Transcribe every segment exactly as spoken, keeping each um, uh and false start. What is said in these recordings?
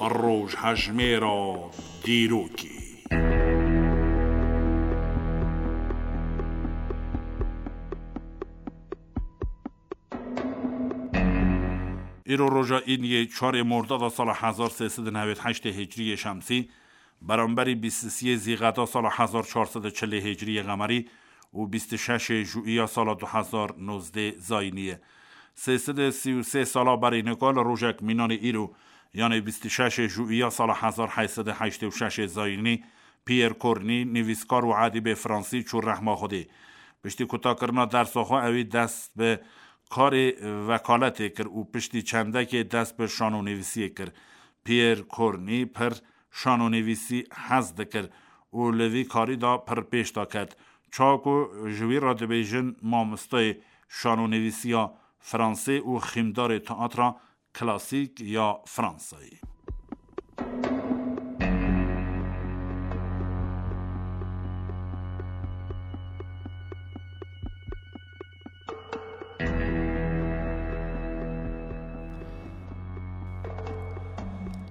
Rojhejmêra dîrokê. Îro roja Îniyê çarê Mordada sala hezar sê sed û newêd heştê Hicriyê Şemsî, beramberî bîst û siyê Zîqeda sala hezar çar sed û çilê Hicriyê Qemerî û bîst û şeşê Jûiya sala du hezar nozdê Zayînî ye. Sê sed û sî û sê sala berî nika li rojek mînanê îro, yanê bîst û şeşê Jûiya sala hezar heyt sed û heştê û şeşê Zayînî, Pierre Corneille, nivîskar û edîbê fransî çû rehma Xwedê. Piştî kutakirina dersa xwe ewî dest bi karê vekaletê kir û piştî çendekê dest bi şanonivîsiyê kir. Pierre Corneille pir şanonivîsî hez dikir û li vî karî de pir pêş de ket. Çawa ku ji wî re dibêjin mamosteyê şanonivîsiya fransê û xîmdarê teatra klasîk ya Fransayê.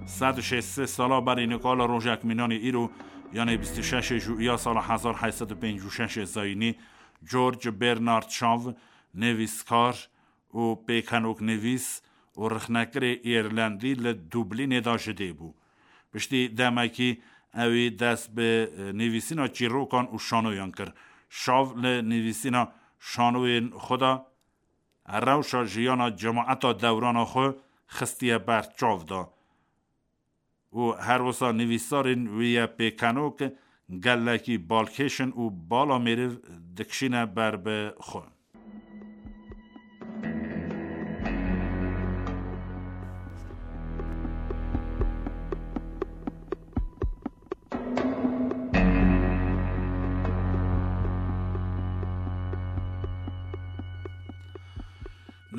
Sed û şêst sê sala berî nika li rojek mînanê îro, yanê bîst û şeşê Jûiya sala hezar heyt sed û pêncî û şeşê Zayînî, George Bernard Shaw, nivîskar û pêkenoknivîs û rixnekirê Îrlandî li Dublînê de ji dê bû. Piştî demekî ewî dest bi, e, nivîsîna çîrokan û şanoyan kir. Şav li nivîsîna şanoyên xwe de rewşa jiyana cemaeta dewrana xwe xistiye ber çav de. Û her wisa nivîsarên wî yê pêkenok gelekî balkêş in û bala mêriv dikişîne ber bi xwe.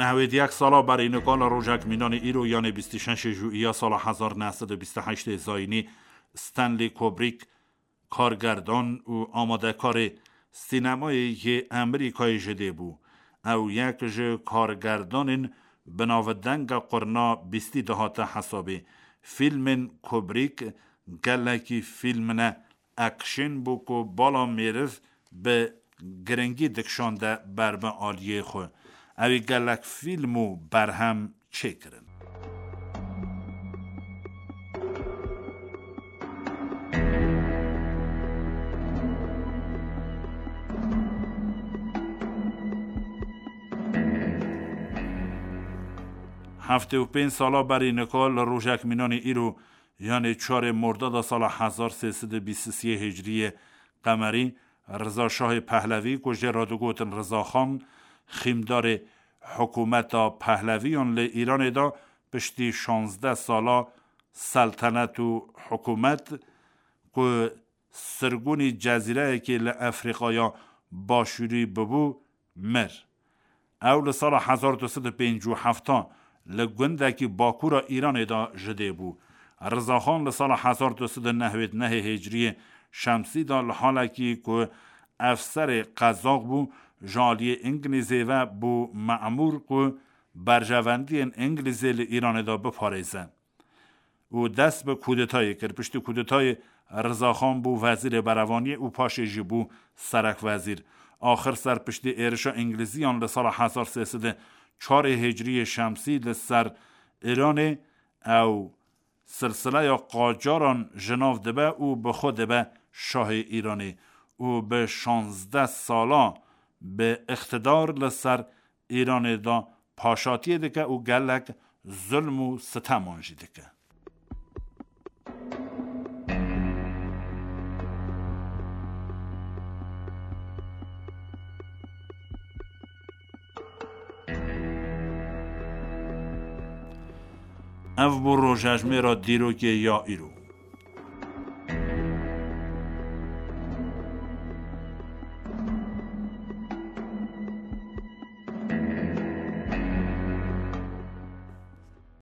Nehwêd yek sala berî nika li rojek mînanê îro, yanê bîst û şeşê Jûiya sala hezar neh sed û bîst û heştê Zayînî, Stanley Kubrick, kargerdan û amadekarê sînemayê yê Amerîkayê ji dê bû. Ew yek ji kargerdanên bi navdenga qurna bîstî dihate hesabê. Fîlmên Kubrick gelekî fîlmine action bû ku bala mêriv bi giringî dikişande ber bi aliyê xwe. Ewî gelek fîlm û berhem çêkirin. Heftê û pênc sala berî nika li rojek mînanê îro, yanê çarê Mordada sala hezar sê sed û bîst û sê Hicriyê Qemerî, Riza Şahê Pehlevî ku jê re digotin Riza Xan, xîmdarê hikûmeta Pehleviyan li Îranê de, piştî şazdeh sala seltenet û hikûmet ku sirgûnî cezîreyekê li Efrîqaya Başûrî bibû, mir. Ew li sala hezar du sed û pêncî û heft li gundekî bakûra Îranê de ji dê bû. Rizaxan li sala hezar du sed û nehwêd nehê Hicriyê Şemsî de li halekî ku efserê qezax bû, ji aliyê Îngilîzê ve bû memûr ku berjewendiyên Îngilîzê li Îranê de biparêze. û dest bi kudetayê kir. Piştî kudetayê Rizaxan bû wezîrê berevaniyê û paşê jî bû serekwezîr. Axir ser piştî êrişa Îngilîziyan li sala hezar sê sed û çarê Hicriyê Şemsî li ser Îranê ew silsileya qacaran ji nav dibe û bi xwe dibe şahê Îranê û bi şazdeh sala bi îqtidar li ser Îranê de paşatiyê dike û gelek zulm û siteman jî dike. Ev bû rojhejmêra dîrokê ya îro.